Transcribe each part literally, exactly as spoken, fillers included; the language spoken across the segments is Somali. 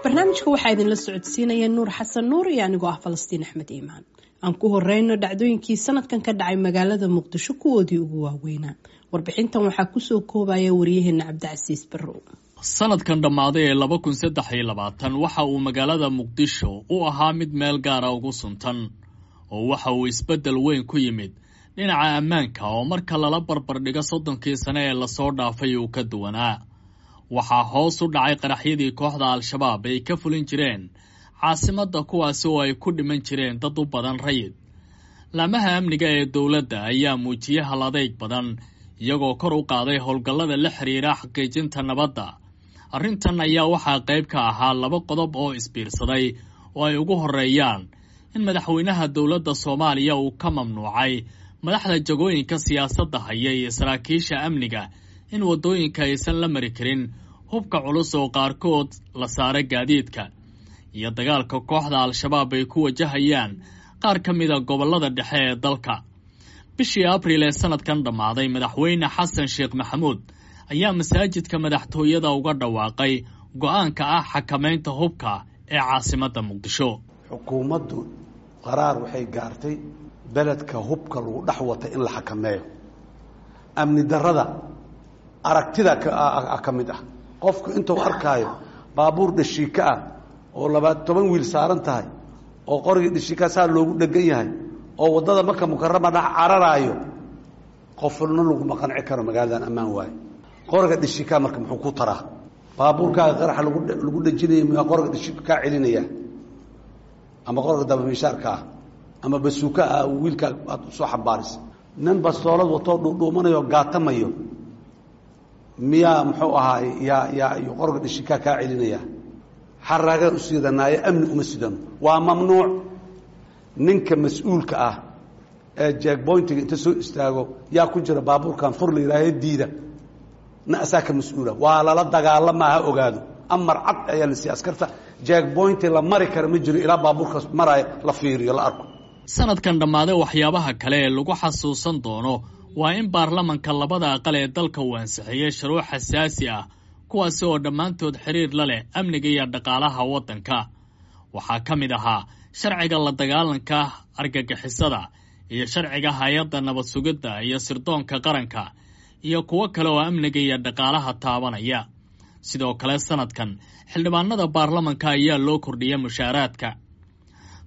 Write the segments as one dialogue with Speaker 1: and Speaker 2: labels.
Speaker 1: Barnaamijka waxaa idinla socodsiinaya Nuur Xasan Nuur iyo anigoo ah Falastiin Axmed Iimaan. Aan ku horeyno dhacdooyinkii sanadkan ka dhacay magaalada Muqdisho kuwoodii ugu waaweynaa. Warbixintan waxaa kusoo koobaya wariyaheena Cabdicasiis Barrow.
Speaker 2: Sanadkan dhammaaday ee laba kun saddex iyo labaatan waxa uu magaalada Muqdisho u ahaa mid meel gaara ugu suntan, oo waxa uu isbeddel weyn ku yimid dhinaca ammaanka oo marka lala barbardhigo soddonkii sane ee lasoo dhaafay uu ka duwanaa. Waxaa hoos u dhacay qaraxyadii kooxda Al-Shabaab ay ka fulin jireen caasimadda, kuwaasi oo ay ku dhiman jireen dad u badan rayid. Laamaha amniga ee dowladda ayaa muujiyey hal adeyg badan, iyagoo kor u qaaday howlgallada la xiriira xaqiijinta nabadda. Arrintan ayaa waxaa qayb ka ahaa laba qodob oo isbiirsaday oo ay ugu horreeyaan in madaxweynaha dowladda Soomaaliya uu ka mamnuucay madaxda jagooyinka siyaasadda haya iyo saraakiisha amniga in waddooyinka aysan la mari karin hubka culus oo qaarkood la saara gaadiidka, iyo dagaalka kooxda Al-Shabaab ay ku wajahayaan qaar ka mida gobollada dhexe ee dalka. Bishii Abriil ee sanadkan dhammaaday, madaxweyne Xasan Sheekh Maxamuud ayaa masaajidka madaxtooyada uga dhawaaqay go-aanka ah xakamaynta hubka ee caasimadda Muqdisho.
Speaker 3: Xukuumaddu qaraar waxay gaartay beledka hubka lagu dhex wata in la xakameeyo. Amni darrada aragtida ka mid ah, qofku intuu arkaayo baabuur dhashiika ah oo labaad toban wiil saaran tahay oo qorigii dhashiika saa loogu dhegan yahay oo waddada Maka Mukarama dhex cararaayo, qofna laguma qanci karo magaaladan ammaan waayo. Qoriga dhashiikaa marka muxuu ku taraa? Baabuurkaaga qaraxa lagu lagu dhejinaya miyaa qoriga dhashiika kaa celinaya, ama qoriga dabamiishaarka ah ama basuuka ah wiilkaa aad usoo xambaarisa? Nin bastoolad watoo dhuudhuumanayo gaatamayo miyaa muxuu ahaay yaa yaa iyo qoriga dhashiikaa kaa celinaya? Xaraagaan u sidanaayo, amni uma sidano, waa mamnuuc. Ninka mas-uulka ah ee jeegboyntiga inta soo istaago yaa ku jira baabuurkan fur la yidhaaho diida na asaa ka mas-uula, waa lala dagaalamaa, ha ogaado. Amar cad ayaa la siiyey askarta, jeegboynti la mari kara ma jiro ilaa baabuurkaas maraayo la fiiriyo, la arko.
Speaker 2: Sanadkan dhammaaday waxyaabaha kale ee lagu xasuusan doono waa in baarlamanka labada aqal ee dalka uu ansixiyey shuruuc xasaasi ah, kuwaasi oo dhammaantood xiriir la leh amniga iyo dhaqaalaha waddanka. Waxaa ka mid ahaa sharciga la dagaalanka argagixisada iyo sharciga hay-adda nabad sugidda iyo sirdoonka qaranka iyo kuwo kale oo amniga iyo dhaqaalaha taabanaya. Sidoo kale sanadkan xildhibaanada baarlamanka ayaa loo kordhiyay mushaaraadka.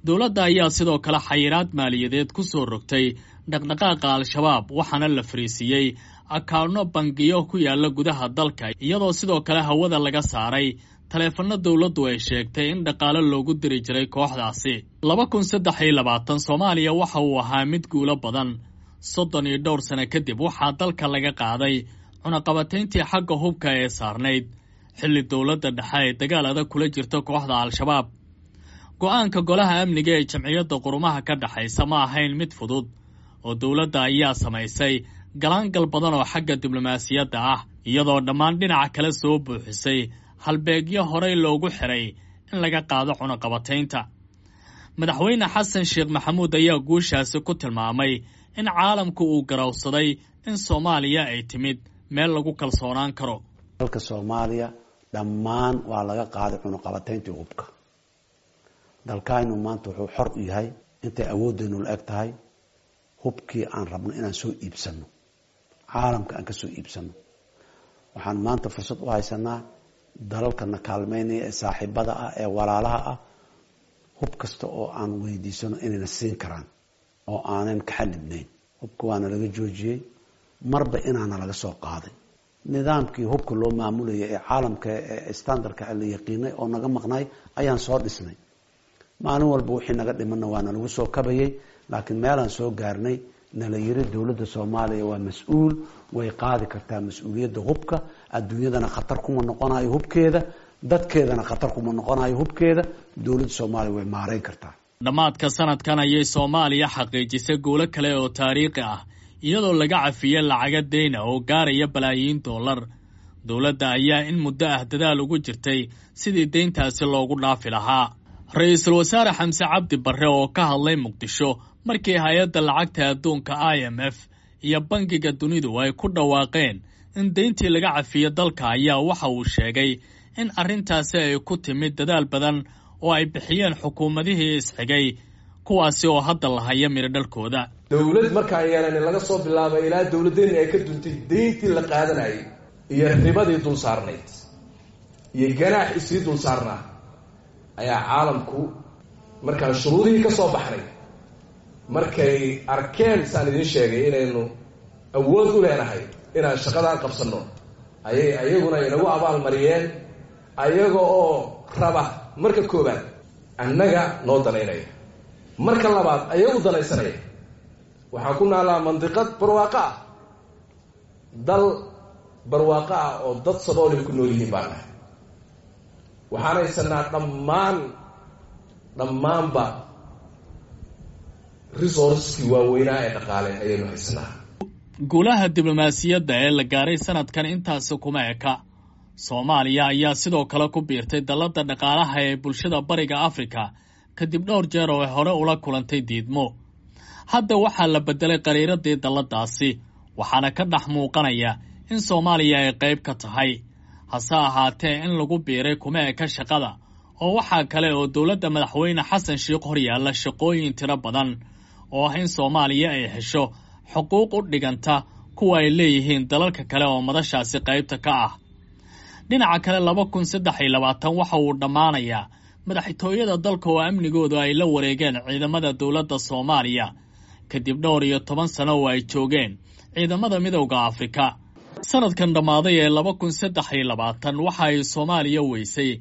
Speaker 2: Dowladda ayaa sidoo kale xayiraad maaliyadeed ku soo rogtay dhaqdhaqaaqa Al-Shabaab, waxaana la fariisiiyey akaano bangiyo ku yaala gudaha dalka, iyadoo sidoo kale hawada laga saaray taleefanno dowladdu ay sheegtay in dhaqaale loogu diri jiray kooxdaasi. Laba kun saddex iyo labaatan Soomaaliya waxa uu ahaa mid guulo badan. Soddon iyo dhowr sano kadib waxaa dalka laga qaaday cunaqabatayntii xagga hubka ee saarnayd, xilli dowladda dhexe ay dagaal adag kula jirto kooxda Al-Shabaab. Go-aanka golaha amniga ee Jamciyadda Qurumaha ka dhexaysa ma ahayn mid fudud, oo dowladda ayaa samaysay galaangal badan oo xagga diblomaasiyadda ah, iyadoo dhammaan dhinaca kale soo buuxisay halbeegyo horey loogu xiray in laga qaado cunaqabataynta. Madaxweyne Xasan Sheekh Maxamuud ayaa guushaasi ku tilmaamay in caalamku uu garowsaday in Soomaaliya ay timid meel lagu kalsoonaan karo.
Speaker 3: Dalka Soomaaliya dhammaan waa laga qaaday cunaqabatayntii hubka. Dalkaynu maanta wuxuu xor u yahay intay awooddeenu la eg tahay hubkii aan rabno inaan soo iibsano, caalamka aan ka soo iibsano. Waxaan maanta fursad u haysanaa dalalkana kaalmeynaya ee saaxiibada ah ee walaalaha ah hub kasta oo aan weydiisano inayna siin karaan oo aanan ka xalibnayn. Hubka waana laga joojiyey, marba inaana laga soo qaaday nidaamkii hubka loo maamulayay ee caalamka ee standardka la yaqiinay oo naga maqnay ayaan soo dhisnay. Maalin walba wixii naga dhimanna waana lagu soo kabayay, laakiin meelaan soo gaarnay nala yiri dowladda Soomaaliya waa mas-uul, way qaadi kartaa mas-uuliyadda hubka, adduunyadana khatar kuma noqonayo hubkeeda, dadkeedana khatar kuma noqonayo hubkeeda, dowladda Soomaaliya way maareyn kartaa.
Speaker 2: Dhammaadka sanadkan ayay Soomaaliya xaqiijisay guulo kale oo taariikhi ah, iyadoo laga cafiyey lacaga deyna oo gaaraya balaayiin dollar. Dowladda ayaa in muddo ah dadaal ugu jirtay sidii deyntaasi loogu dhaafi lahaa. Ra-iisul wasaare Xamse Cabdi Barre oo ka hadlay Muqdisho Markii hay-adda lacagta adduunka I M F iyo Bangiga Dunidu ay ku dhawaaqeen in deyntii laga cafiyo dalka, ayaa waxa uu sheegay in arrintaasi ay ku timid dadaal badan oo ay bixiyeen xukuumadihii isxigay, kuwaasi oo hadda la haya midho dhalkooda.
Speaker 4: Dowlad markaan yeelanin laga soo bilaabay ilaa dowladdeeni ay ka duntay, deyntii la qaadanayay iyo ribadii dul saarnayd iyo ganaax isii dul saarnaa ayaa caalamku markaan shuruudihii ka soo baxnay, markay arkeen saan idiin sheegay inaynu awood u leenahay inaan shaqadaan qabsanno, ayay ayaguna inagu abaalmariyeen, ayaga oo raba marka koobaad annaga noo danaynaya, marka labaad ayagu danaysanaya. Waxaan ku naalaa mandiqad barwaaqo ah, dal barwaaqo ah oo dad saboolay ku nool yihiin baan nahay. Waxaan haysanaa dhammaan dhammaanba resourcekii waaweynaa ee dhaqaale ayaynu haysanaa.
Speaker 2: Guulaha diblomaasiyadda ee la gaaray sanadkan intaasi kuma eka. Soomaaliya ayaa sidoo kale ku biirtay dalladda dhaqaalaha ee bulshada Bariga Afrika kadib dhowr jeer oo ay hore ula kulantay diidmo. Hadda waxaa la beddelay qariiradii dalladaasi, waxaana ka dhex muuqanaya in Soomaaliya ay qayb ka tahay. Hase ahaatee, in lagu biiray kuma eka shaqada, oo waxaa kale oo dowladda Madaxweyne Xasan Sheikh horyaalla shaqooyin tiro badan oo ah in Soomaaliya ay hesho xuquuq u dhiganta kuwa ay leeyihiin dalalka kale oo madashaasi qaybta ka ah. Dhinaca kale, laba kun saddex iyo labaatan waxa uu dhammaanayaa madaxtooyada dalka oo amnigoodu ay la wareegeen ciidamada dowladda Soomaaliya kadib dhowr iyo toban sano oo ay joogeen ciidamada Midowda Afrika. Sanadkan dhammaaday ee laba kun saddex iyo labaatan waxa ay Soomaaliya weysay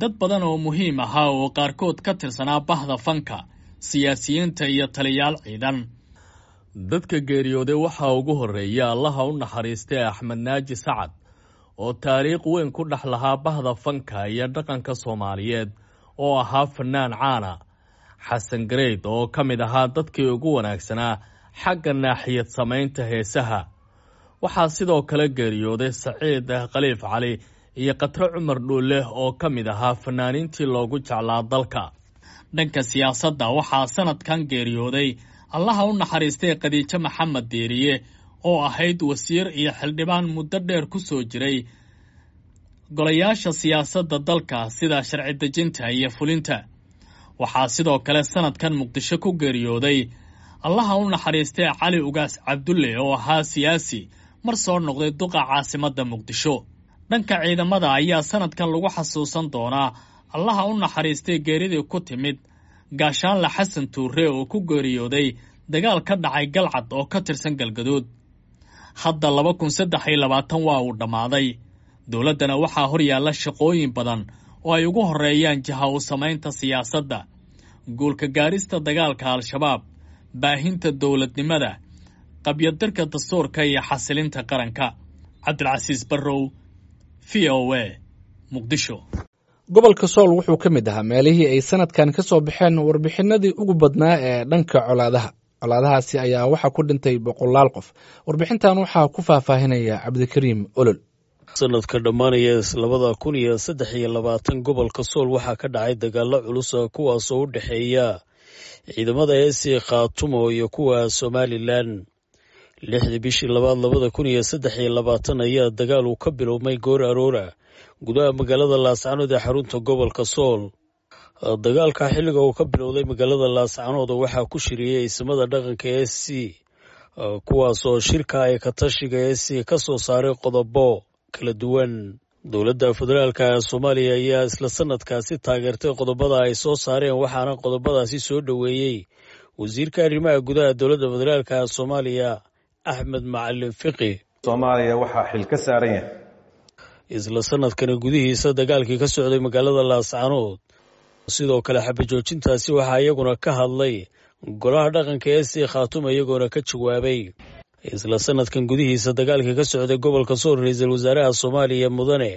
Speaker 2: dad badan oo muhiim ahaa oo qaarkood ka tirsanaa bahda fanka, siyaasiyiinta iyo taliyaal ciidan. Dadka geeriyooday waxaa ugu horreeya Allaha u naxariistay Axmed Naaji Sacad oo taariikh weyn ku dhex lahaa bahda fanka iyo dhaqanka Soomaaliyeed oo ahaa fanaan caana. Xasan Gareyd oo ka mid ahaa dadkii ugu wanaagsanaa xagga naaxiyad samaynta heesaha. Waxaa sidoo kale geeriyooday Saciid Khaliif Cali iyo Qatro Cumar Dhuule oo ka mid ahaa fanaaniintii loogu jeclaa dalka. Dhanka siyaasadda waxaa sanadkan geeriyooday Allaha u naxariistay Khadiijo Maxamed Diiriye oo ahayd wasiir iyo xildhibaan muddo dheer ku soo jiray golayaasha siyaasadda dalka sida sharci dejinta iyo fulinta. Waxaa sidoo kale sanadkan Muqdisho ku geeriyooday Allaha u naxariistay Cali Ugaas Cabdulle oo ahaa siyaasi mar soo noqday duqa caasimadda Muqdisho. Dhanka ciidamada ayaa sanadkan lagu xasuusan doonaa Allaha u naxariistay geeridii ku timid Gaashaanle Xasan Tuure oo ku geeriyooday dagaal ka dhacay Galcad oo ka tirsan Galgaduud. Hadda laba kun saddex iyo labaatan waa uu dhammaaday. Dowladdana waxaa horyaalla shaqooyin badan oo ay ugu horreeyaan jiha u samaynta siyaasadda, guulka gaarista dagaalka Al-Shabaab, baahinta dowladnimada, qabyadirka dastuurka iyo xasilinta qaranka. Cabdilcasiis Barrow, V O A, Muqdisho.
Speaker 5: Gobolka Sool wuxuu ka mid ahaa meelihii ay sanadkan ka soo baxeen warbixinadii ugu badnaa ee dhanka colaadaha. Colaadahaasi ayaa waxaa ku dhintay boqolaal qof. Warbixintan waxaa ku faahfaahinaya Cabdikariim Olol.
Speaker 6: Sanadka dhammaanaya labada kun iyo saddex iyo labaatan gobolka Sool waxaa ka dhacay dagaalo culus, kuwaasoo u dhexeeya ciidamada S C Khaatumo iyo kuwa Somalilan. Lixdii bishii labaad labada kun iyo saddex iyo labaatan ayaa dagaal uu ka bilowmay goor aroora gudaha magaalada Laascanood ee xarunta gobolka Sool. Dagaalka xilliga uu ka bilowday magaalada Laascanood waxaa ku shiriyey isimada dhaqanka S C, kuwaasoo shirka ay ka tashiga S C ka soo saaray qodobo kala duwan. Dowladda federaalka ee Soomaaliya ayaa isla sanadkaasi taageertay qodobada ay soo saareen, waxaana qodobadaasi soo dhoweeyey wasiirka arrimaha gudaha dowladda federaalka ee Soomaaliya, Axmed Macalin Fiqi.
Speaker 7: Soomaaliya waxaa xil ka saaran yahay
Speaker 6: Isla sanadkani gudihiisa dagaalkii ka socday magaalada Laascanood, sidoo kale xabajoojintaasi waxaa iyaguna ka hadlay golaha dhaqanka ee S C Khaatumo, iyagoona ka jawaabay. Isla sanadkan gudihiisa dagaalkii ka socday gobolka Sool, ra-iisul wasaaraha Soomaaliya Mudane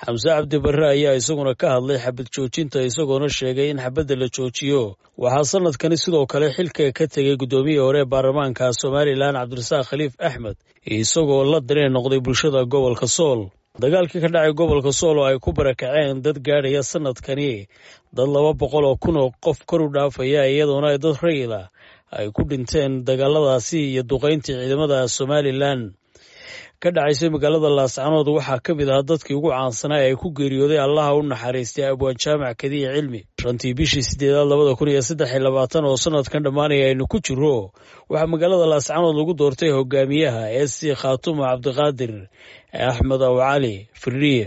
Speaker 6: Xamse Cabdi Barre ayaa isaguna ka hadlay xabad joojinta, isagoona sheegay in xabadda la joojiyo. Waxaa sanadkani sidoo kale xilka ka tegay guddoomiyihii hore ee baarlamaanka Somalilan, Cabdirasaaq Khaliif Axmed, isagoo la dareen noqday bulshada gobolka Sool. Dagaalkii ka dhacay gobolka Sool oo ay ku barakaceen dad gaadhaya sanadkani dad laba boqol oo kun oo qof kor u dhaafaya, iyadoona ay dad rayida ay ku dhinteen dagaaladaasi iyo duqeyntii ciidamada Somalilan ka dhacaysay magaalada Laascanood. Waxaa ka mid ahaa dadkii ugu caansanaa ee ku geeriyooday Allaha u naxariistay Abwaan Jaamac Kadiye Cilmi. Shantii bishii sideedaad labada kun iyo saddex iyo labaatan oo sanadkan dhammaanaya aynu ku jiro, waxaa magaalada Laascanood lagu doortay hogaamiyaha S C Khaatumo Cabdiqaadir Axmed Aw Cali Firdhiye,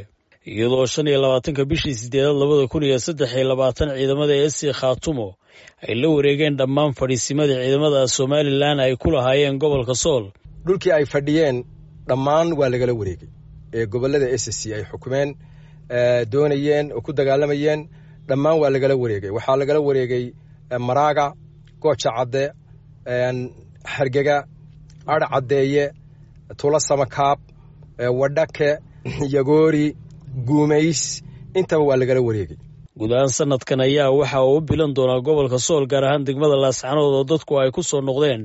Speaker 6: iyadoo shan iyo labaatanka bishii sideedaad labada kun iyo saddex iyo labaatan ciidamada S C Khaatumo ay la wareegeen dhammaan fadhiisimadii ciidamada Somalilan ay ku lahaayeen gobolka Sool.
Speaker 8: Dhulkii ay fadhiyeen dhammaan waa lagala wareegay ee gobolada S C ay xukumeen, doonayeen oo ku dagaalamayeen, dhammaan waa lagala wareegay. Waxaa lagala wareegay Maraaga, Gooja Cadde, Hargega, Adh Caddeeye, Tula Samakaab, Wadhake, Yagoori, Guumays, intaba waa lagala wareegay.
Speaker 6: Guud ahaan sanadkan ayaa waxa uu u bilan doonaa gobolka Sool, gaar ahaan degmada Laascanood oo dadku ay ku soo noqdeen,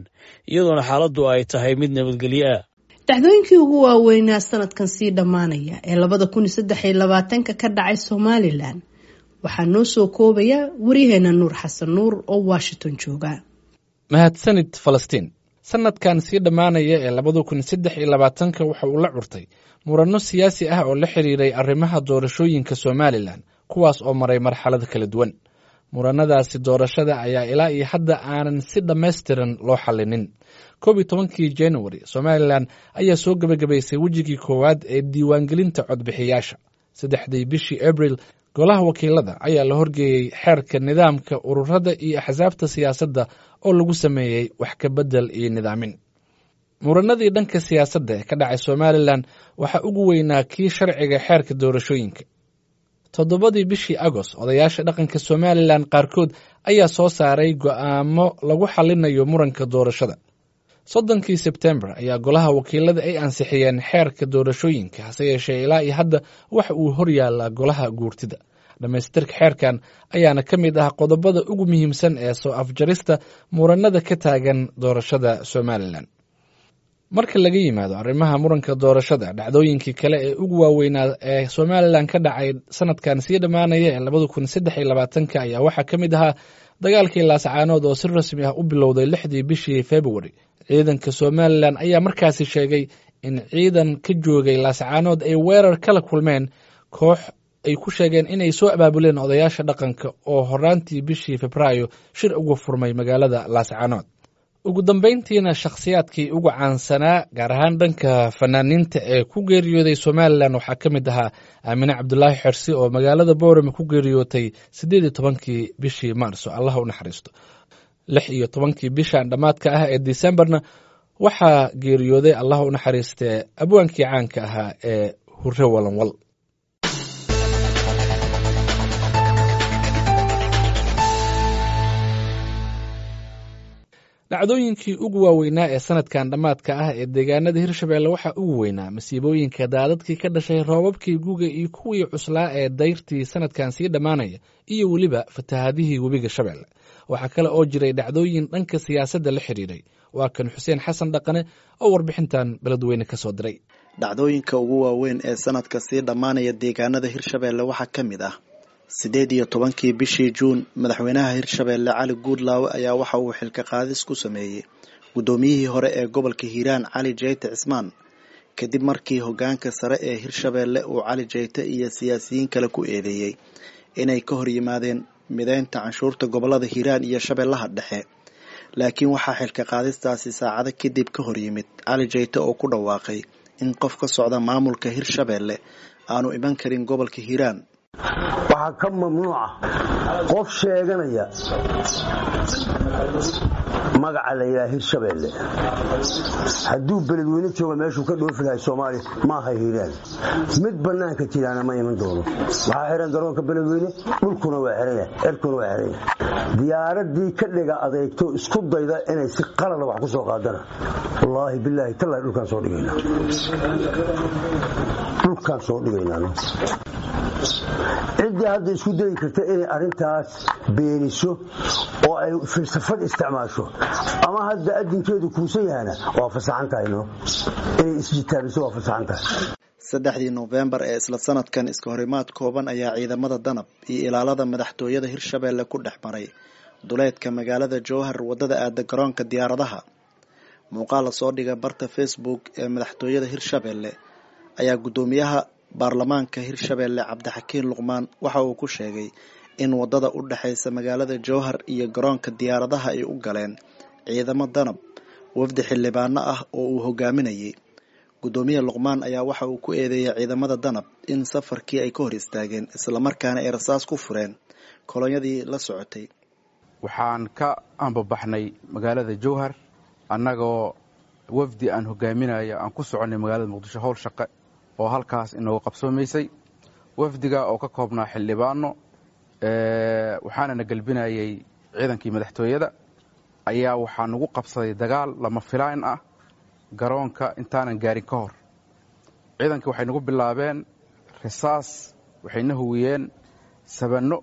Speaker 6: iyadoona xaaladdu ay tahay mid nabadgelyo ah.
Speaker 1: Dhacdooyinkii ugu waaweynaa sanadkan sii dhammaanaya ee labada kun iyo saddex iyo labaatanka ka dhacay Somalilan waxaa noo soo koobaya waryaheena Nuur Xasan Nuur oo Washington jooga.
Speaker 5: Mahadsanid Falastiin. Sanadkan sii dhammaanaya ee labada kun saddex iyo labaatanka waxa uu la curtay muranno siyaasi ah oo la xiriiray arrimaha doorashooyinka Somalilan, kuwaas oo maray marxalado kala duwan. Muranadaasi doorashada ayaa ilaa iyo hadda aanan si dhammaystiran loo xallinin. Koob iyo tobankii January, Somalilan ayaa soo gebagabaysay wejigii koowaad ee diiwaangelinta codbixiyaasha. Saddexdii bishii Abril, golaha wakiilada ayaa la horgeeyey xeerka nidaamka ururada iyo axsaabta siyaasadda oo lagu sameeyey wax ka bedel iyo nidaamin. Muranadii dhanka siyaasadda ee ka dhacay Somalilan waxaa ugu weynaa kii sharciga xeerka doorashooyinka. Toddobadii bishii Agost, odayaasha dhaqanka Somalilan qaarkood ayaa soo saaray go'aamo lagu xalinayo muranka doorashada. Soddonkii Sebtembar ayaa golaha wakiilada ay ansixiyeen xeerka doorashooyinka, hase yeeshee ilaa iyo hadda waxa uu horyaallaa golaha guurtida. Dhammaystirka xeerkan ayaana ka mid ah qodobada ugu muhiimsan ee soo afjarista muranada ka taagan doorashada Somalilan. Marka laga yimaado arrimaha muranka doorashada, dhacdooyinkii kale ee ugu waaweynaa ee Somalilan ka dhacay sanadkan sii dhammaanaya ee labada kun saddex iyo labaatanka ayaa waxaa ka mid ahaa dagaalkii Laascaanood oo si rasmi ah u bilowday lixdii bishii February. Ciidanka Somalilan ayaa markaasi sheegay in ciidan ka joogay Laascaanood ay weerar kala kulmeen koox ay ku sheegeen inay soo abaabuleen odayaasha dhaqanka oo horaantii bishii Febraayo shir uga furmay magaalada Laascaanood. Ugu dambeyntiina, shakhsiyaadkii ugu caansanaa gaar ahaan dhanka fanaaniinta ee ku geeriyooday Somalilan waxaa ka mid ahaa Aamine Cabdulaahi Xersi oo magaalada Boorame ku geeriyootay siddeed iyo tobankii bishii Maarso, Allah u naxariisto. Lix iyo tobankii bishan dhammaadka ah ee Decemberna waxaa geeriyooday, Allah u naxariistee, abwaankii caanka ahaa ee Hure Walanwal. Dhacdooyinkii ugu waaweynaa ee sanadkan dhammaadka ah ee deegaanada Hirshabeelle waxaa ugu weynaa masiibooyinka daadadkii ka dhashay roobabkii guga iyo kuwii cuslaa ee dayrtii sanadkan sii dhammaanaya, iyo weliba fatahaadihii webiga Shabeelle. Waxaa kale oo jiray dhacdooyin dhanka siyaasadda la xiriiray. Waa kan Xuseen Xasan Dhaqane oo warbixintan Beledweyne ka soo diray.
Speaker 9: Dhacdooyinka ugu waaweyn ee sanadka sii dhammaanaya deegaanada Hirshabeelle waxaa ka mid ah sideed iyo tobankii bishii Juun, madaxweynaha Hirshabeelle Cali Guudlaawe ayaa waxa uu xilka qaadis ku sameeyey guddoomiyihii hore ee gobolka Hiiraan Cali Jeyte Cismaan, kadib markii hoggaanka sare ee Hirshabeelle uu Cali Jeyte iyo siyaasiyiin kale ku eedeeyey inay ka hor yimaadeen mideynta canshuurta gobolada Hiiraan iyo Shabeellaha Dhexe. Laakiin waxaa xilka qaadistaasi saacado kadib ka hor yimid Cali Jeyte oo ku dhawaaqay in qof ka socda maamulka Hirshabeelle aanu iman karin gobolka Hiiraan.
Speaker 10: Waxaa ka mamnuuca qof sheeganaya magaca la yidhaha Hirshabeelle hadduu Beledweyne jooga meeshuu ka dhoofi lahay Soomaaliya maaha Hiiraan, mid bannaanka jiraana ma iman doono. Waxaa xihan garoonka Beledweyne, dhulkuna waa xiran yahay, cirkuna waa xiran yahay. Diyaaraddii ka dhiga adeegto isku dayda inay si qalada wax ku soo qaadana, wallaahi bilaahi tallahi dhulkaan soo dhigaynaa, dhulkaan soo dhigaynaa. Ciddii hadda isku dayi karta inay arrintaas beeniso oo ay filsafad isticmaasho ama hadda adinkeedu kuusan yahana waa fasaxan tahay, no inay isjitaabiso waa fasaxan tahay.
Speaker 9: Saddexdii Noofembar ee isla sanadkan, iska horimaad kooban ayaa ciidamada Danab iyo ilaalada madaxtooyada Hirshabeelle ku dhex maray duleedka magaalada Jowhar wadada aada garoonka diyaaradaha. Muuqaal la soo dhigay barta Facebook ee madaxtooyada Hirshabelle ayaa guddoomiyaha baarlamaanka Hirshabelle Cabdixakiin Luqmaan waxa uu ku sheegay in wadada u dhaxaysa magaalada Jowhar iyo garoonka diyaaradaha ay u galeen ciidamo danab wafdi xildhibaano ah oo uu hogaaminayay. Guddoomiye Luqmaan ayaa waxa uu ku eedeeyay ciidamada danab in safarkii ay ka hor istaageen islamarkaana ay rasaas ku fureen kolonyadii la socotay.
Speaker 11: Waxaan ka ambabaxnay magaalada Jowhar annagoo wafdi aan hogaaminayo aan ku soconnay magaalada Muqdisho howl shaqe oo halkaas inooga qabsoomaysay. Wafdiga oo ka koobnaa xildhibaano waxaana na gelbinayay ciidankii madaxtooyada ayaa waxaa nagu qabsaday dagaal lama filaan ah garoonka intaanan gaarin ka hor. Ciidankii waxay nagu bilaabeen risaas, waxayna huwiyeen sabanno,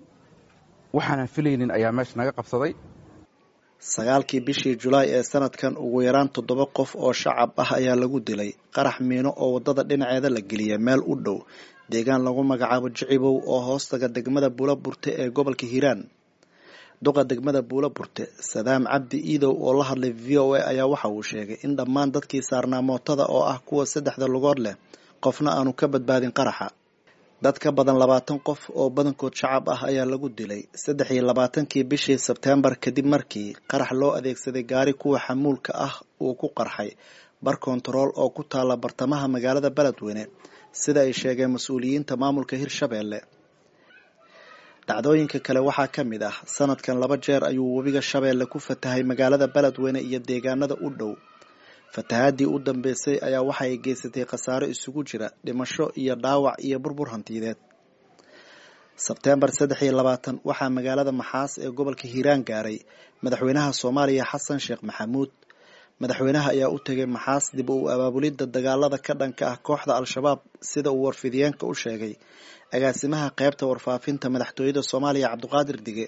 Speaker 11: waxaanan filaynin ayaa meesha naga qabsaday.
Speaker 9: Sagaalkii bishii Julaay ee sanadkan ugu yaraan toddoba qof oo shacab ah ayaa lagu dilay qarax miino oo wadada dhinaceeda la geliyay meel u dhow deegaan lagu magacaabo Jicibow oo hoostaga degmada Buula Burte ee gobolka Hiiraan. Duqa degmada Buula Burte Sadaam Cabdi Iidow oo la hadlay V O A ayaa waxa uu sheegay in dhammaan dadkii saarnaa mootada oo ah kuwa saddexda lugood leh qofna aanu ka badbaadin qaraxa. Dad ka badan labaatan qof oo badankood shacab ah ayaa lagu dilay saddex iyo labaatankii bishii Sebteembar kadib markii qarax loo adeegsaday gaari kuwa xamuulka ah uu ku qarxay bar koontarool oo ku taala bartamaha magaalada Beledweyne, sida ay sheegeen mas-uuliyiinta maamulka Hirshabelle. Dhacdooyinka kale waxaa ka mid ah sanadkan laba jeer ayuu webiga Shabeelle ku fatahay magaalada Beledweyne iyo deegaanada u dhow. Fatahaadii u dambeysay ayaa waxa ay geysatay khasaaro isugu jira dhimasho iyo dhaawac iyo burbur hantiyeed. Sebteembar saddex iyo labaatan waxaa magaalada Maxaas ee gobolka Hiiraan gaaray madaxweynaha Soomaaliya Xasan Sheekh Maxamuud. Madaxweynaha ayaa u tegay Maxaas dib u abaabulidda dagaalada ka dhanka ah kooxda Al-Shabaab, sida uu warfidiyeenka u sheegay agaasimaha qaybta warfaafinta madaxtooyada Soomaaliya Cabdiqaadir Dige.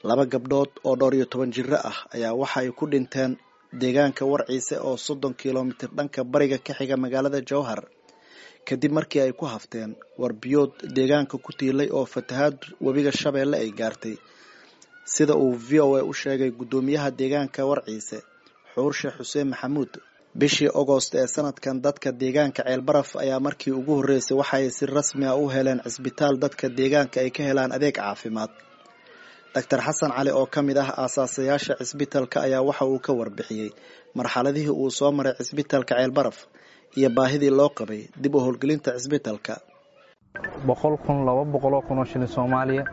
Speaker 9: Laba gabdhood oo dhowr iyo toban jiro ah ayaa waxa ay ku dhinteen deegaanka Warciise oo soddon kilomitir dhanka bariga ka xiga magaalada Jowhar kadib markii ay ku hafteen warbiyood deegaanka ku tiilay oo fatahaad webiga Shabeelle ay gaartay, sida uu V O A u sheegay guddoomiyaha deegaanka Warciise Xuurshe Xuseen Maxamuud. Bishii Agost ee sanadkan dadka deegaanka Ceelbaraf ayaa markii ugu horreysay waxa ay si rasmi ah u heleen cisbitaal dadka deegaanka ay ka helaan adeeg caafimaad. Doctor Xasan Cali oo ka mid ah aasaasayaasha cisbitaalka ayaa waxa uu ka warbixiyey marxaladihii uu soo maray cisbitaalka Ceelbaraf iyo baahidii loo qabay dib u howlgelinta cisbitaalka.
Speaker 12: boqol kun laba boqoloo kun oo shilin Soomaaliya,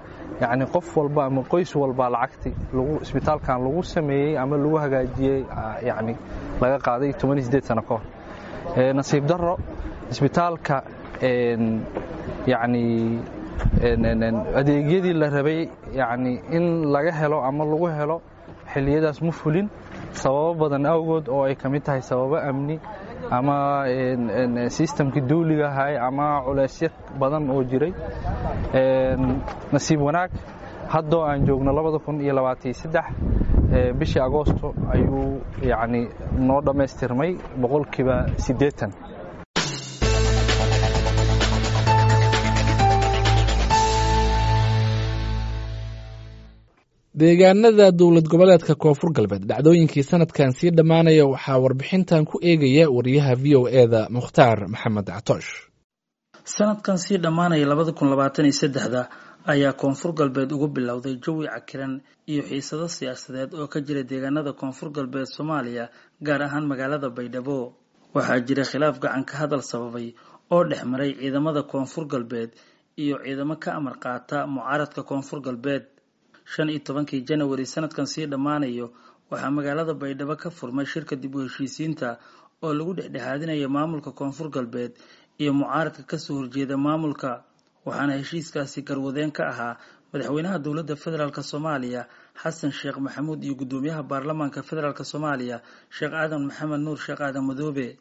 Speaker 12: yacni qof walba ama qoys walba lacagti lagu isbitaalkan lagu sameeyey ama lagu hagaajiyey yacni laga qaaday toban iyo siddeed sano ka hor. Nasiib darro isbitaalka yacni adeegyadii la rabay yacni in laga helo ama lagu helo xilliyadaas ma fulin sababo badan awgood oo ay ka mid tahay sababo amni ama sistamkii dawliga ahay ama culeysyo badan oo jiray. Nasiib wanaag haddoo aan joogno labada kun iyo labaatan iyo saddex bishii agoosto ayuu yacni noo dhammaystirmay boqolkiiba siddeetan.
Speaker 5: Deegaanada dowlad goboleedka Koonfur Galbeed dhacdooyinkii sanadkan sii dhammaanaya waxaa warbixintan ku eegaya wariyaha V O E-da Mukhtaar Maxamed Catoosh.
Speaker 13: Sanadkan sii dhammaanaya labada kun labaatan iyo saddexda ayaa Koonfur Galbeed ugu bilowday jawi cakiran iyo xiisado siyaasadeed oo ka jira deegaanada Koonfur Galbeed Soomaaliya, gaar ahaan magaalada Baydhabo. Waxaa jira khilaaf gacan ka hadal sababay oo dhex maray ciidamada Koonfur Galbeed iyo ciidamo ka amar qaata mucaaradka Koonfur Galbeed. Shan iyo tobankii Janawari sanadkan sii dhammaanayo waxaa magaalada Baydhabo ka furmay shirka dib u heshiisiinta oo lagu dhexdhexaadinayo maamulka Koonfur Galbeed iyo mucaaradka kasoo horjeeda maamulka, waxaana heshiiskaasi garwadeen ka ahaa madaxweynaha dowladda federaalk Soomaaliya Xasan Sheekh Maxamuud iyo guddoomiyaha baarlamaanka federaalk Soomaaliya Sheekh Aadan Maxamed Nuur Sheekh Aadan Madoobe.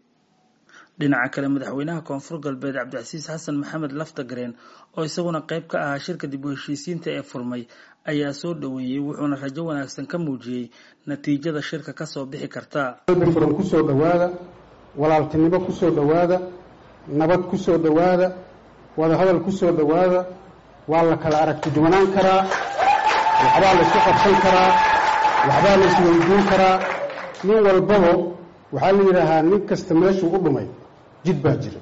Speaker 13: Dhinaca kale madaxweynaha Koonfur Galbeed Cabdicasiis Xasan Maxamed Laftagareen oo isaguna qayb ka ahaa shirka dib u heshiisiinta ee furmay ayaa soo dhoweeyey, wuxuuna rajo wanaagsan ka muujiyey natiijada shirka kasoo bixi karta.
Speaker 14: Qalbi furan kusoo dhowaada, walaaltinimo kusoo dhowaada, nabad kusoo dhowaada, wadahadal kusoo dhowaada. Waa la kala aragti duwanaan karaa, Waxbaa la isku qabsan karaa, waxbaa la isweydiin karaa. Nin walbaba waxaa la yidhaahaa nin kasta meeshuu u dhumay jid baa jira.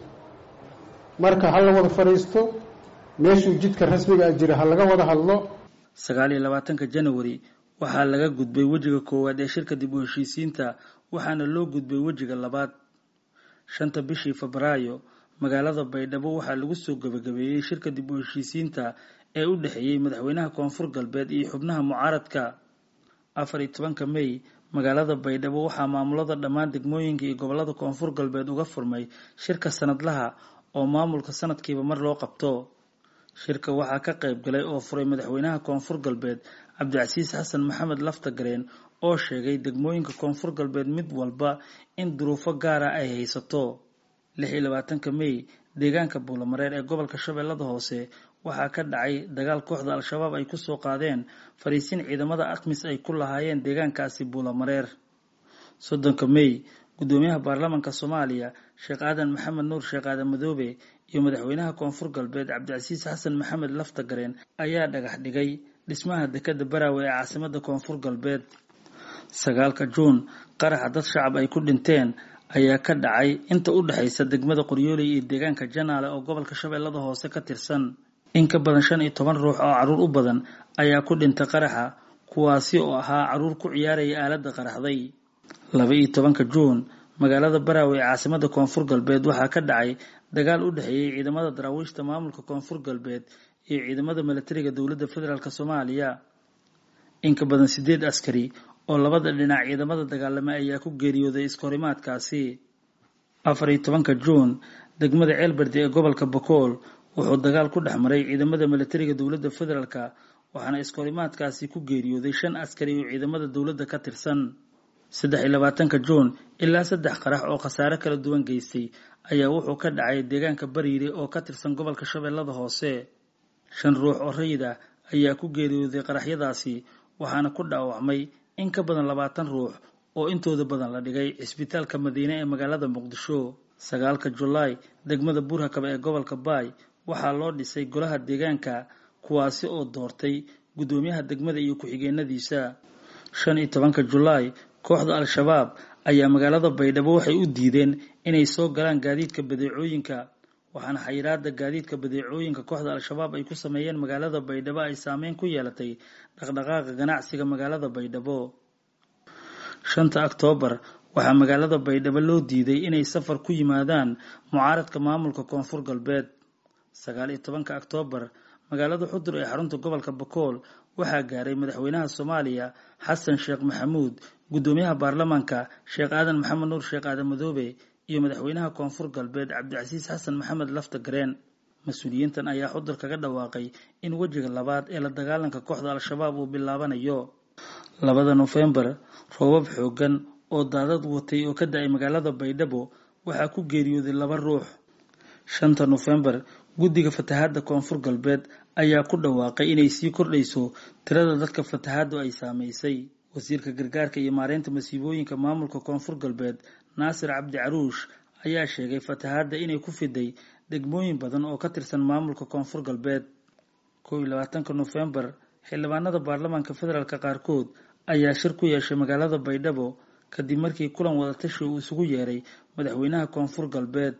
Speaker 14: Marka ha la wada fadhiisto, meeshuu jidka rasmiga ah jira ha laga wada hadlo.
Speaker 13: Sagaal iyo labaatanka Janawari waxaa laga gudbay wejiga koowaad ee shirka dib u heshiisiinta, waxaana loo gudbay wejiga labaad. Shanta bishii Febraayo magaalada Baydhabo waxaa lagu soo gabagabeeyey shirka dib u heshiisiinta ee u dhexeeyey madaxweynaha Koonfur Galbeed iyo xubnaha mucaaradka. Afar iyo tobanka May magaalada Baydhabo waxaa maamulada dhammaan degmooyinka iyo gobolada Koonfur Galbeed uga furmay shirka sanadlaha oo maamulka sanadkiiba mar loo qabto. Shirka waxaa ka qayb galay oo furay madaxweynaha Koonfur Galbeed Cabdicasiis Xasan Maxamed Laftagareen oo sheegay degmooyinka Koonfur Galbeed mid walba in duruufo gaara ay haysato. Lix iyo labaatanka May deegaanka Buulamareer ee gobolka Shabeellada Hoose waxaa ka dhacay dagaal kooxda Al-Shabaab ay ku soo qaadeen fariisin ciidamada ATMIS ay ku lahaayeen deegaankaasi Buulamareer. Soddonka May gudoomiyaha baarlamaanka Soomaaliya Sheekh Aadan Maxamed Nuur Sheekh Aadan Madoobe iyo madaxweynaha Koonfur Galbeed Cabdicasiis Xasan Maxamed Laftagareen ayaa dhagax dhigay dhismaha dekedda Baraawe ee caasimadda Koonfur Galbeed. Sagaalka Juun qaraxa dad shacab ay ku dhinteen ayaa ka dhacay inta u dhaxaysa degmada Qoryooley iyo deegaanka Janaale oo gobolka Shabeellada Hoose ka tirsan. In ka badan shan iyo toban ruux oo carruur u badan ayaa ku dhintay qaraxa, kuwaasi oo ahaa carruur ku ciyaaraya aaladda qaraxday. Laba iyo tobanka Juun magaalada Baraawe ee caasimadda Koonfur Galbeed waxaa ka dhacay dagaal u dhexeeyey ciidamada daraawiishta maamulka Koonfur Galbeed iyo ciidamada milatariga dowladda federaalk Soomaaliya. In ka badan sideed askari oo labada dhinac ciidamada dagaalamay ayaa ku geeriyooday iskahorimaadkaasi. Afar iyo tobanka Juun degmada Ceelberde ee gobolka Bakool wuxuu dagaal ku dhex maray ciidamada milatariga dowladda federaalk, waxaana iskahorimaadkaasi ku geeriyooday shan askari oo ciidamada dowladda ka tirsan. Saddex iyo labaatanka Juun ilaa saddex qarax oo khasaare kala duwan geystay ayaa wuxuu ka dhacay deegaanka Bariire oo ka tirsan gobolka Shabeellada Hoose. Shan ruux oo rayid ah ayaa ku geeriyooday qaraxyadaasi, waxaana ku dhaawacmay in ka badan labaatan ruux oo intooda badan la dhigay cisbitaalka Madiine ee magaalada Muqdisho. Sagaalka Julaay degmada Buurhakaba ee gobolka Baay waxaa loo dhisay golaha deegaanka, kuwaasi oo doortay gudoomiyaha degmada iyo ku-xigeenadiisa. Shan iyo tobanka Julaay kooxda Al-Shabaab ayaa magaalada Baydhabo waxay u diideen inay soo galaan gaadiidka badeecooyinka, waxaana xayiraadda gaadiidka badeecooyinka kooxda Al-Shabaab ay ku sameeyeen magaalada Baydhabo ay saameyn ku yeelatay dhaqdhaqaaqa ganacsiga magaalada Baydhabo. Shanta Oktoobar waxaa magaalada Baydhabo loo diiday inay safar ku yimaadaan mucaaradka maamulka Koonfur Galbeed. Sagaal iyo tobanka Oktoobar magaalada Xudur ee xarunta gobolka Bakool waxaa gaaray madaxweynaha Soomaaliya Xasan Sheekh Maxamuud, gudoomiyaha baarlamaanka Sheekh Aadan Maxamed Nuur Sheekh Aadan Madoobe iyo madaxweynaha Koonfur Galbeed Cabdicasiis Xasan Maxamed Laftagareen. Mas-uuliyiintan ayaa Xudur kaga dhawaaqay in wejiga labaad ee la dagaalanka kooxda Al-Shabaab uu bilaabanayo. Labada Nofeembar roobab xooggan oo daadad watay oo ka da'ay magaalada Baydhabo waxaa ku geeriyooday laba ruux. Shanta Nofeembar guddiga fatahaadda Koonfur Galbeed ayaa ku dhawaaqay inay sii kordhayso tirada dadka fatahaaddu ay saameysay. Wasiirka gargaarka iyo maareynta masiibooyinka maamulka Koonfur Galbeed Naasir Cabdi Caruush ayaa sheegay fatahaadda inay ku fiday degmooyin badan oo ka tirsan maamulka Koonfur Galbeed. Kow iyo labaatanka Nofeembar xildhibaanada baarlamaanka federaalk qaarkood ayaa shir ku yeeshay magaalada Baydhabo kadib markii kulan wadatashi uu isugu yeeray madaxweynaha Koonfur Galbeed.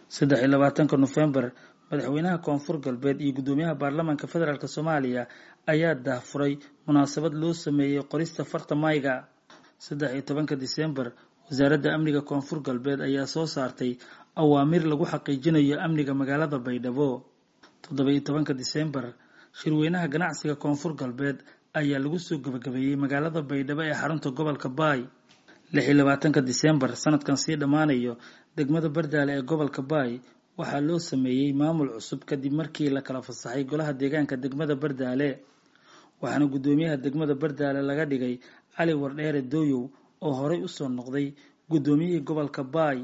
Speaker 13: Saddex iyo labaatanka Nofeembar madaxweynaha Koonfur Galbeed iyo gudoomiyaha baarlamaanka federaalk Soomaaliya ayaa daahfuray munaasabad loo sameeyey qorista farta mayga. Saddex iyo tobanka Diseembar wasaaradda amniga Koonfur Galbeed ayaa soo saartay awaamiir lagu xaqiijinayo amniga magaalada Baydhabo. Toddoba iyo tobanka Diseembar shirweynaha ganacsiga Koonfur Galbeed ayaa lagu soo gabagabeeyey magaalada Baydhabo ee xarunta gobolka Baay. Lix iyo labaatanka Diseembar sanadkan sii dhammaanayo degmada Bardaale ee gobolka Baay waxaa loo sameeyey maamul cusub kadib markii la kala fasaxay golaha deegaanka degmada Bardaale, waxaana gudoomiyaha degmada Bardaale laga dhigay Cali Wardheere Dooyow oo horey u soo noqday gudoomiyihii gobolka Baay.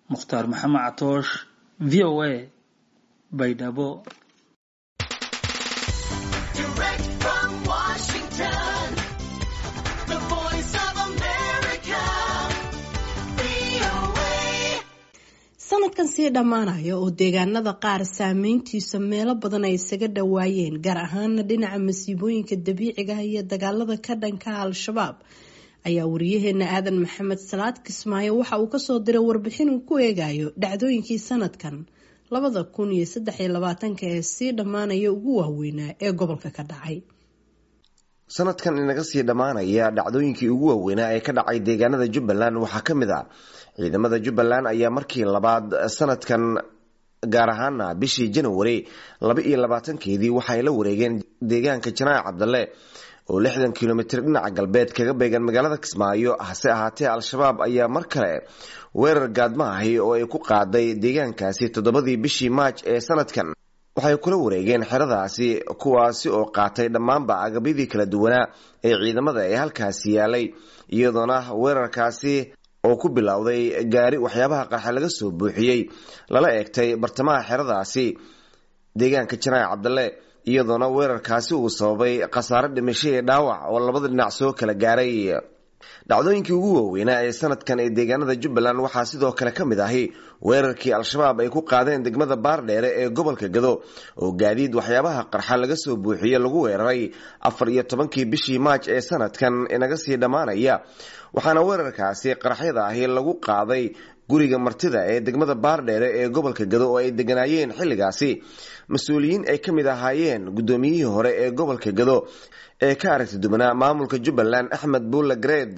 Speaker 13: Mukhtaar Maxamed Catoosh, V O A, Baydhabo.
Speaker 1: Sanadkan sii dhammaanaya oo deegaanada qaar saameyntiisa meelo badan ay isaga dhawaayeen, gaar ahaana dhinaca masiibooyinka dabiiciga iyo dagaalada ka dhanka Al-Shabaab, ayaa wariyaheena Aadan Maxamed Salaad Kismaayo waxa uu kasoo diray warbixin uu ku eegayo dhacdooyinkii sanadkan labada kun iyo saddex iyo labaatanka ee sii dhammaanaya ugu waaweynaa ee gobolka ka dhacay.
Speaker 15: Sanadkan inaga sii dhammaanaya dhacdooyinkii ugu waaweynaa ee ka dhacay deegaanada Jubbaland waxaa ka mid ah ciidamada Jubbaland ayaa markii labaad sanadkan, gaar ahaana bishii January laba iyo labaatankeedii, waxay la wareegeen deegaanka Janaac Cabdalle oo lixdan kilomitir dhinaca galbeed kaga beegan magaalada Kismaayo. Hase ahaatee Al-Shabaab ayaa mar kale weerar gaadma ahi oo ay ku qaaday deegaankaasi toddobadii bishii Maaj ee sanadkan waxay kula wareegeen xeradaasi, kuwaasi oo qaatay dhammaanba agabyadii kala duwanaa ee ciidamada ee halkaasi yaalay, iyadoona weerarkaasi oo ku bilowday gaari waxyaabaha qarxa laga soo buuxiyey lala eegtay bartamaha xeradaasi deegaanka Janaac Cabdalle, iyadoona weerarkaasi uu sababay khasaare dhimasho iyo dhaawac oo labada dhinac soo kala gaaray. Dhacdooyinkii ugu waaweynaa ee sanadkan ee deegaanada Jubbaland waxaa sidoo kale ka mid ahi weerarkii Al-Shabaab ay ku qaadeen degmada Baardheere ee gobolka Gado oo gaadiid waxyaabaha qarxa laga soo buuxiye lagu weeraray afar iyo tobankii bishii Maaj ee sanadkan inaga sii dhammaanaya, waxaana weerarkaasi qarxyada ahi lagu qaaday guriga martida ee degmada Baardheere ee gobolka Gado oo ay deganaayeen xilligaasi mas-uuliyiin ay ka mid ahaayeen guddoomiyihii hore ee gobolka Gado ee ka aragti duwanaa maamulka Jubbaland Axmed Buulle Gareed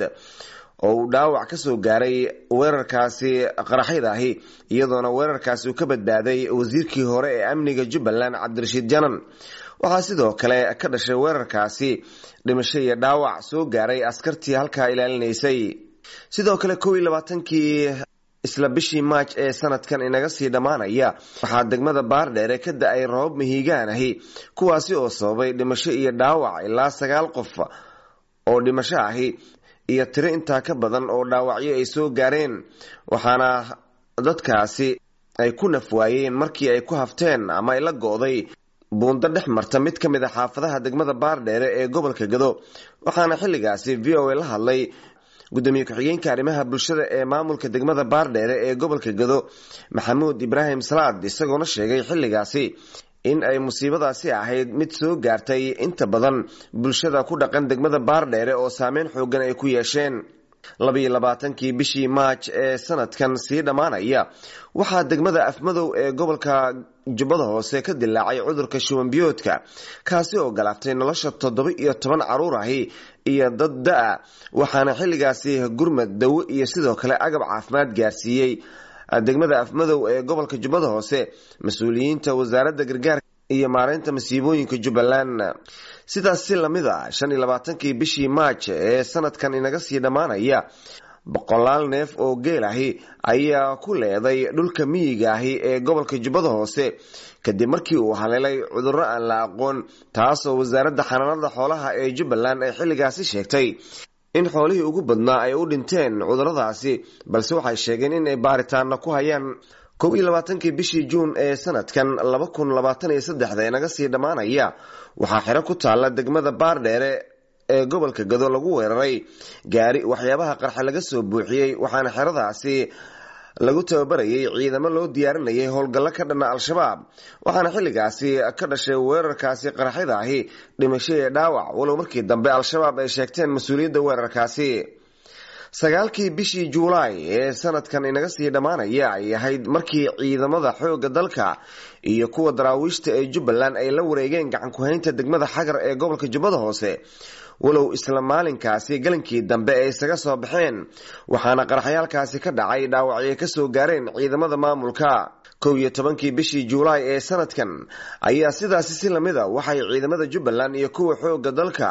Speaker 15: oo uu dhaawac ka soo gaaray weerarkaasi qaraxyada ahi, iyadoona weerarkaasi uu ka badbaaday wasiirkii hore ee amniga Jubbaland Cabdirashiid Janan. Waxaa sidoo kale ka dhashay weerarkaasi dhimasho iyo dhaawac soo gaaray askartii halkaa ilaalinaysay. Sidoo kale kow iyo labaatankii isla bishii Maaj ee sanadkan inaga sii dhammaanaya waxaa degmada Baardheere ka da-ay roobab mihigaan ahi, kuwaasi oo sababay dhimasho iyo dhaawac ilaa sagaal qof oo dhimasho ahi iyo tiro intaa ka badan oo dhaawacyo ay soo gaareen, waxaana dadkaasi ay ku nafwaayeen markii ay ku hafteen ama ay la go'day buundo dhex marta mid ka mid a xaafadaha degmada Baardheere ee gobolka Gado. Waxaana xilligaasi V O A la hadlay gudoomiye ku-xigeenka arrimaha bulshada ee maamulka degmada Baardheere ee gobolka Gado Maxamuud Ibraahim Salaad, isagoona sheegay xilligaasi in ay musiibadaasi ahayd mid soo gaartay inta badan bulshada ku dhaqan degmada Baardheere oo saameyn xoogan ay ku yeesheen. Labiyo labaatankii bishii Maaj ee sanadkan sii dhammaanaya waxaa degmada Afmadow ee gobolka Jubbada Hoose ka dilaacay cudurka shuban biyoodka, kaasi oo galaaftay nolosha toddoba iyo toban caruur ahi iyo dad da-a, waxaana xilligaasi gurmad dawo iyo sidoo kale agab caafimaad gaarsiiyey degmada Afmadow ee gobolka Jubbada Hoose mas-uuliyiinta wasaaradda gargaarka iyo maareynta masiibooyinka Jubbaland. Sidaas si lamid a shan iyo labaatankii bishii Maaj ee sanadkan inaga sii dhammaanaya boqolaal neef oo geel ahi ayaa ku leeday dhulka miyiga ahi ee gobolka Jubbada Hoose kadib markii uu haleelay cudurro aan la aqoon, taasoo wasaaradda xanaanada xoolaha ee Jubbaland ay xilligaasi sheegtay in xoolihii ugu badnaa ay u dhinteen cudurradaasi, balse waxay sheegeen in ay baaritaana ku hayaan. Kow iyo labaatankii bishii Juun ee sanadkan laba kun labaatan iyo saddexda inaga sii dhammaanaya waxaa xero ku taalla degmada Baardheere ee gobolka Gado lagu weeraray gaari waxyaabaha qarxa laga soo buuxiyey, waxaana xeradaasi lagu tababarayay ciidamo loo diyaarinayay howlgallo ka dhana Al-Shabaab, waxaana xilligaasi ka dhashay weerarkaasi qaraxyada ahi dhimasho iyo dhaawac, walow markii dambe Al-Shabaab ay sheegteen mas-uuliyadda weerarkaasi. Sagaalkii bishii Juulaay ee sanadkan inaga sii dhammaanaya ay ahayd markii ciidamada xoogga dalka iyo kuwa daraawiishta ee Jubbaland ay la wareegeen gacan ku-haynta degmada Xagar ee gobolka Jubbada Hoose, walow isla maalinkaasi galinkii dambe ay isaga soo baxeen, waxaana qaraxyaalkaasi ka dhacay dhaawacyo ka soo gaareen ciidamada maamulka. Kow iyo tobankii bishii Juulaay ee sanadkan ayaa sidaasi si lamid a waxay ciidamada Jubbaland iyo kuwa xoogga dalka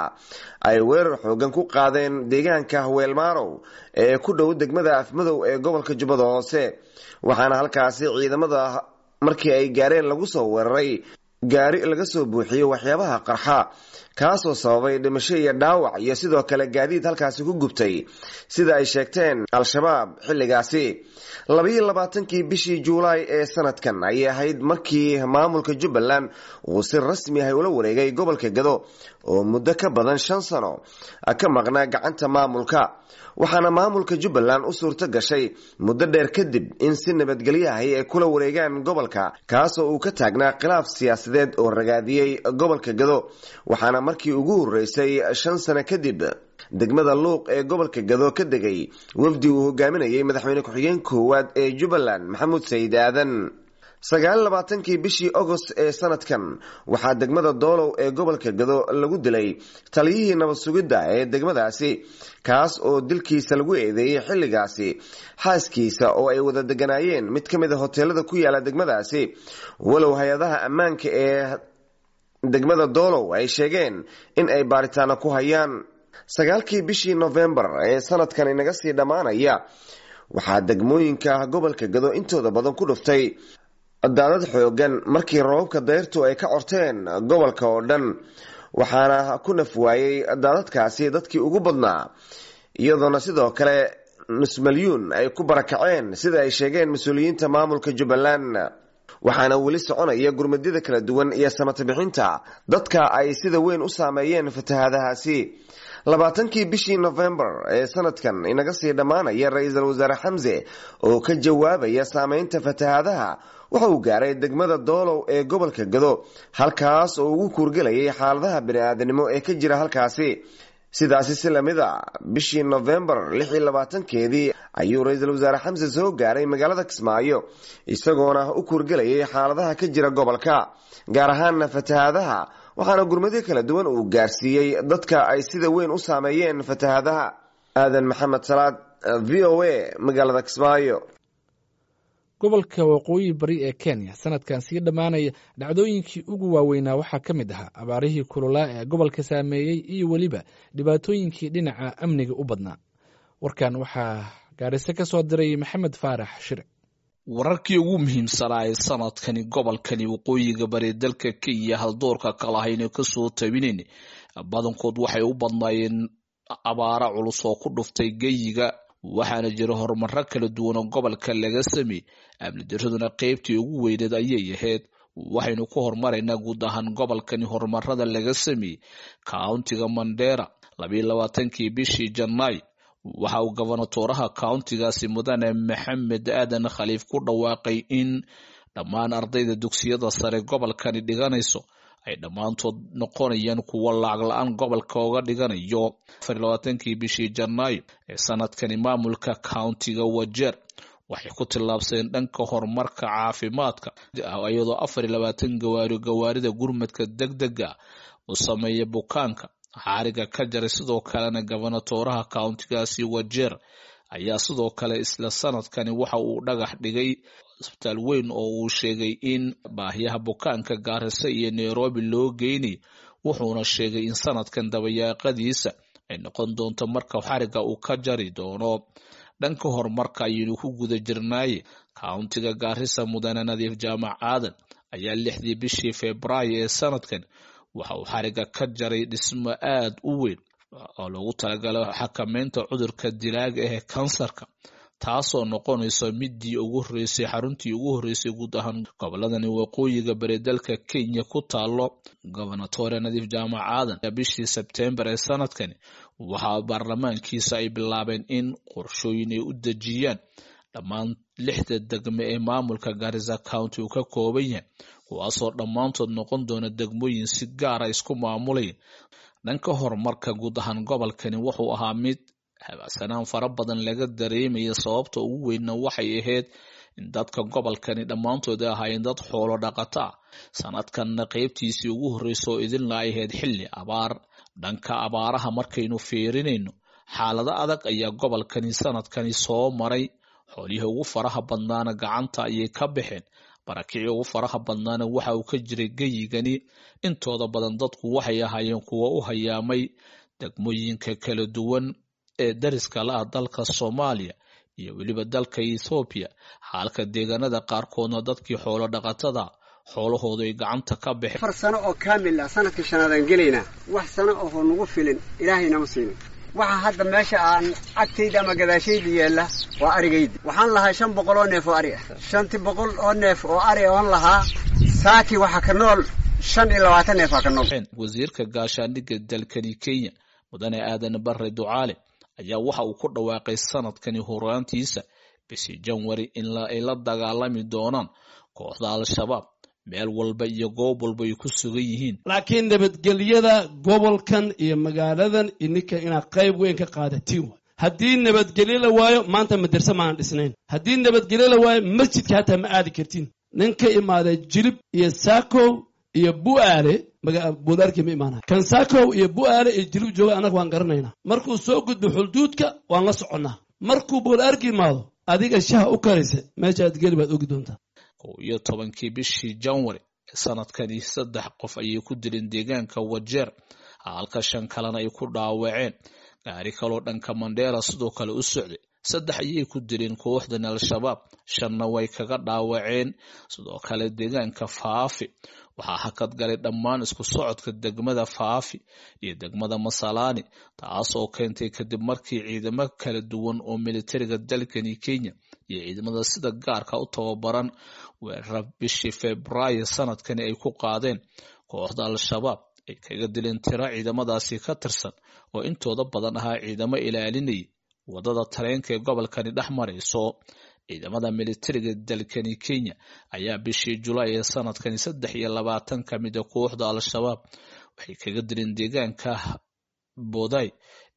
Speaker 15: ay weerar xoogan ku qaadeen deegaanka Weelmaarow ee ku dhow degmada Afmadow ee gobolka Jubbada Hoose, waxaana halkaasi ciidamada markii ay gaareen lagu soo weeraray gaari laga soo buuxiyey waxyaabaha qarxa, Kaasoo sababay dhimasho iyo dhaawac iyo sidoo kale gaadiid halkaasi ku gubtay, sida ay sheegteen Al-Shabaab xilligaasi. Labayo labaatankii bishii Juulaay ee sanadkan ayay ahayd markii maamulka Jubbaland uu si rasmi ah ula wareegay gobolka Gado oo muddo ka badan shan sano ka maqnaa gacanta maamulka, waxaana maamulka Jubbaland u suurto gashay muddo dheer kadib in si nabadgelyo ahi ay kula wareegaan gobolka, kaasoo uu ka taagnaa khilaaf siyaasadeed oo ragaadiyey gobolka Gado. Waxaana markii ugu horreysay shan sano kadib degmada Luuq ee gobolka Gado ka degay wafdi uu hogaaminayay madaxweyne ku-xigeen koowaad ee Jubbaland, Maxamuud Sayid Aadan. Sagaal labaatankii bishii Agost ee sanadkan waxaa degmada Doolow ee gobolka Gado lagu dilay taliyihii nabad sugidda ee degmadaasi, kaas oo dilkiisa lagu eedeeyey xilligaasi xaaskiisa oo ay wada deganaayeen mid ka mid a hoteelada ku yaala degmadaasi, walow hay-adaha ammaanka ee degmada Doolow ay sheegeen in ay baaritaano ku hayaan. Sagaalkii bishii Novembar ee sanadkan inaga sii dhammaanaya waxaa degmooyinka gobolka Gado intooda badan ku dhuftay daadad xoogan markii roobabka dayrtu ay ka corteen gobolka oo dhan, waxaana ku naf waayey daadadkaasi dadkii ugu badnaa, iyadoona sidoo kale nus malyuun ay ku barakaceen, sida ay sheegeen mas-uuliyiinta maamulka Jubbaland. Waxaana weli soconaya gurmadyada kala duwan iyo samata bixinta dadka ay sida weyn u saameeyeen fatahaadahaasi. Labaatankii bishii Novembar ee sanadkan inaga sii dhammaanaya, ra-iisul wasaare Xamse oo ka jawaabaya saameynta fatahaadaha waxa uu gaaray degmada Doolow ee gobolka Gado, halkaas oo ugu kuurgelayay xaaladaha bani-aadanimo ee ka jira halkaasi. Sidaasi si lamid a bishii Novembar lix iyo labaatankeedii ayuu ra-iisul wasaare Xamse soo gaaray magaalada Kismaayo, isagoona u kuurgelayay xaaladaha ka jira gobolka, gaar ahaana fatahaadaha, waxaana gurmadyo kala duwan uu gaarsiiyey dadka ay sida weyn u saameeyeen fatahaadaha. Aadan Maxamed Salaad, V O A, magaalada Kismaayo.
Speaker 5: Gobolka waqooyi bari ee Kenya sanadkan sii dhammaanaya dhacdooyinkii ugu waaweynaa waxaa ka mid ahaa abaarihii kululaa ee gobolka saameeyey iyo weliba dhibaatooyinkii dhinaca amniga u badnaa. Warkan waxaa Gaariso ka soo diray Maxamed Faarax Shire.
Speaker 16: Wararkii ugu muhiimsanaa ee sanadkani gobolkani waqooyiga bari dalka Kenya haldoorka kalahayna kasoo tabinayn badankood waxay u badnaayeen abaara culus oo ku dhuftay geyiga, waxaana jira horumaro kala duwan oo gobolka laga sameeyey. Amni daraduna qeybtii ugu weyneed ayay ahayd. Waxaynu ku horumaraynaa guud ahaan gobolkani horumarada laga sameeyey kauntiga Mandera. Labayo labaatankii bishii Janaay waxa uu gobonatooraha kauntigaasi mudane Maxamed Aadan Khaliif ku dhawaaqay in dhammaan ardayda dugsiyada sare gobolkani dhiganayso ay dhammaantood noqonayaan kuwo lacag la-aan gobolka oga dhiganayo. Afar labaatankii bishii Janaayo ee sanadkani maamulka kauntiga Wajeer waxay ku tillaabsadeen dhanka horumarka caafimaadka, iyadoo afar iyo labaatan gawaari gawaarida gurmadka degdega u sameeya bukaanka xariga ka jaray. Sidoo kalena gobonatooraha kauntigaasi Wajeer ayaa sidoo kale isla sanadkani waxa uu dhagax dhigay isbitaal weyn oo uu sheegay in baahiyaha bukaanka Gaarisa iyo Nairobi loo geynay, wuxuuna sheegay in sanadkan dabayaaqadiisa ay noqon doonto marka xariga uu ka jari doono. Dhanka horumarka ayaynu ku guda jirnaaye kauntiga Gaarisa mudane Nadiif Jaamac Aadan ayaa lixdii bishii Febraayo ee sanadkan waxa uu xariga ka jaray dhismo aad u weyn oo loogu talagalay xakameynta cudurka dilaaga ee kansarka, taasoo noqonaysa midii ugu horreysay xaruntii ugu horreysay guud ahaan goboladani waqooyiga bari dalka Kenya ku taalo. Gobonatore Nadiif Jaamac Aadan bishii Sebtembar ee sanadkani waxaa baarlamaankiisa ay bilaabeen in qorshooyin ay u dejiyaan dhammaan lixda degme ee maamulka Garissa County uu ka kooban yahay, kuwaasoo dhammaantood noqon doona degmooyin si gaara isku maamulaya. Dhanka horumarka guud ahaan gobolkani wuxuu ahaa mid habacsanaan fara badan laga dareemaya. Sababta ugu weynna waxay ahayd in dadka gobolkani dhammaantood ay ahaayeen dad xoolo dhaqato ah, sanadkanna qeybtiisii ugu horreysay oo idinla ay ahayd xilli abaar. Dhanka abaaraha markaynu fiirinayno, xaalado adag ayaa gobolkani sanadkani soo maray. Xoolihii ugu faraha badnaana gacanta ayay ka baxeen, barakicii ugu faraha badnaana waxa uu ka jiray geyigani. Intooda badan dadku waxay ahaayeen kuwo u hayaamay degmooyinka kala duwan ee dariska la ah dalka Soomaaliya iyo weliba dalka Ethiopia, halka deegaanada qaarkoodna dadkii xoolo dhaqatada Xoolahoodu ay gacanta ka baxeen.
Speaker 17: Afar sano oo kaamil ah sanadkii shanaad aan gelaynaa, wax sano oo nagu filin Ilaahay nama siinin. Waxa hadda meesha aan agtayda ama gadaashayda yeella waa arigayda. Waxaan lahaa shan boqol oo neef oo ari ah. Shanti boqol oo neef oo ari oon lahaa saaki waxa ka nool shan iyo labaatan neef ka nool.
Speaker 16: Wasiirka gaashaandhigga dalkani Kenya Mudane Aadan Barre Ducaale ayaa waxa uu ku dhawaaqay sanadkani horaantiisa bishii Janwari in ay la dagaalami doonaan kooxda Al-Shabaab meel walba iyo goob walba ay ku sugan yihiin.
Speaker 18: Laakiin nabadgelyada gobolkan iyo magaaladan ininka inaad qayb weyn ka qaadatiin waay. Haddii nabadgelyo la waayo maanta madarse maanan dhisnayn. Haddii nabadgelyo la waayo masjidka hataa ma aadi kartiin. Nin ka imaaday Jilib iyo Saakow iyo Bu'aale Buulaarkii ma imaanaya. Kan Saakow iyo Bu'aale iyo Jilib jooga annaga waan garanaynaa. Markuu soo gudbo xulduudka waan la soconnaa. Markuu Buulaarki imaado adiga shaha u karaysa meeshaad geli baad ogi doontaa.
Speaker 16: Kow iyo tobankii bishii Janwari sanadkani saddex qof ayay ku dileen deegaanka Wajeer, halka shan kalena ay ku dhaawaceen. Gaari kaloo dhanka Mandheera sidoo kale u socday saddex ayay ku dileen kooxdan Al-Shabaab, shanna way kaga dhaawaceen. Sidoo kale deegaanka Faafi waxaa hakad galay dhammaan isku socodka degmada Faafi iyo degmada Masalaani, taasoo keentay kadib markii ciidamo kala duwan oo militariga dalkani Kenya iyo ciidamada sida gaarka u tababaran weerar bishii Febraayo sanadkani ay ku qaadeen kooxda Al-Shabaab ay kaga dileen tiro ciidamadaasi ka tirsan oo intooda badan ahaa ciidamo ilaalinayay wadada tareenka ee gobolkani dhex marayso. Ciidamada militariga dalkani Kenya ayaa bishii Julaay ee sanadkani saddex iyo labaatan ka mid ah kooxda Al-Shabaab waxay kaga dileen deegaanka Boday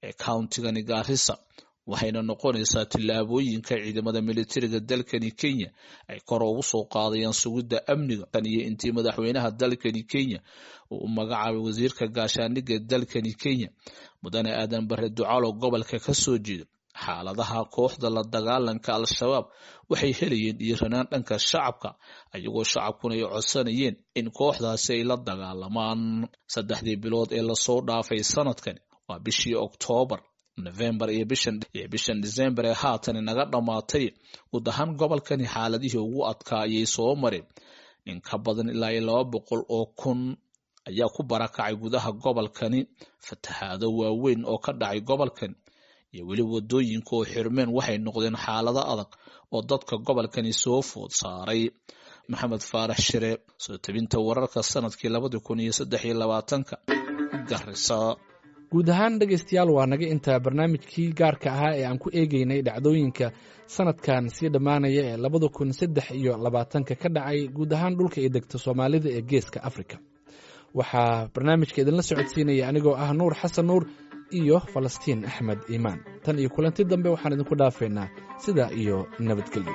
Speaker 16: ee countigani Garissa, waxayna noqonaysaa tillaabooyinka ciidamada militariga dalkani Kenya ay kor ugu soo qaadayaan sugidda amniga. Tan iyo intii madaxweynaha dalkani Kenya uu u magacaabay wasiirka gaashaandhigga dalkani Kenya Mudane Aadan Barre Ducaalo gobolka ka soo jeeda, xaaladaha kooxda la dagaalanka Al-Shabaab waxay helayeen dhiiranaan dhanka shacabka, ayagoo shacabkuna ay codsanayeen in kooxdaasi ay la dagaalamaan. Saddexdii bilood ee lasoo dhaafay sanadkani waa bishii Oktoobar, November iyo bishan iyo bishan December ee haatan naga dhamaatay, guud ahaan gobolkani xaaladihii ugu adkaa ayay soo mareen. In ka badan ilaa iyo laba boqol oo kun ayaa ku barakacay gudaha gobolkani. Fatahaado waaweyn oo ka dhacay gobolkan iyo weli wadooyinka oo xirmeen waxay noqdeen xaalado adag oo dadka gobolkani soo food saaray. Maxamed Faarax Shire, soo tabinta wararka sanadkii labadi kun iyo saddex iyo labaatanka, Garissa.
Speaker 5: Guud ahaan dhegaystayaal, waa naga intaa barnaamijkii gaarka ahaa ee aan ku eegeynay dhacdooyinka sanadkan sii dhammaanaya ee labada kun saddex iyo labaatanka ka dhacay guud ahaan dhulka ay degta Soomaalida ee geeska Afrika. Waxaa barnaamijka idinla socodsiinaya anigoo ah Nuur Xasan Nuur iyo Falastiin Axmed Iimaan. Tan iyo kulanti dambe waxaan idinku dhaafaynaa sidaa iyo nabadgelyo.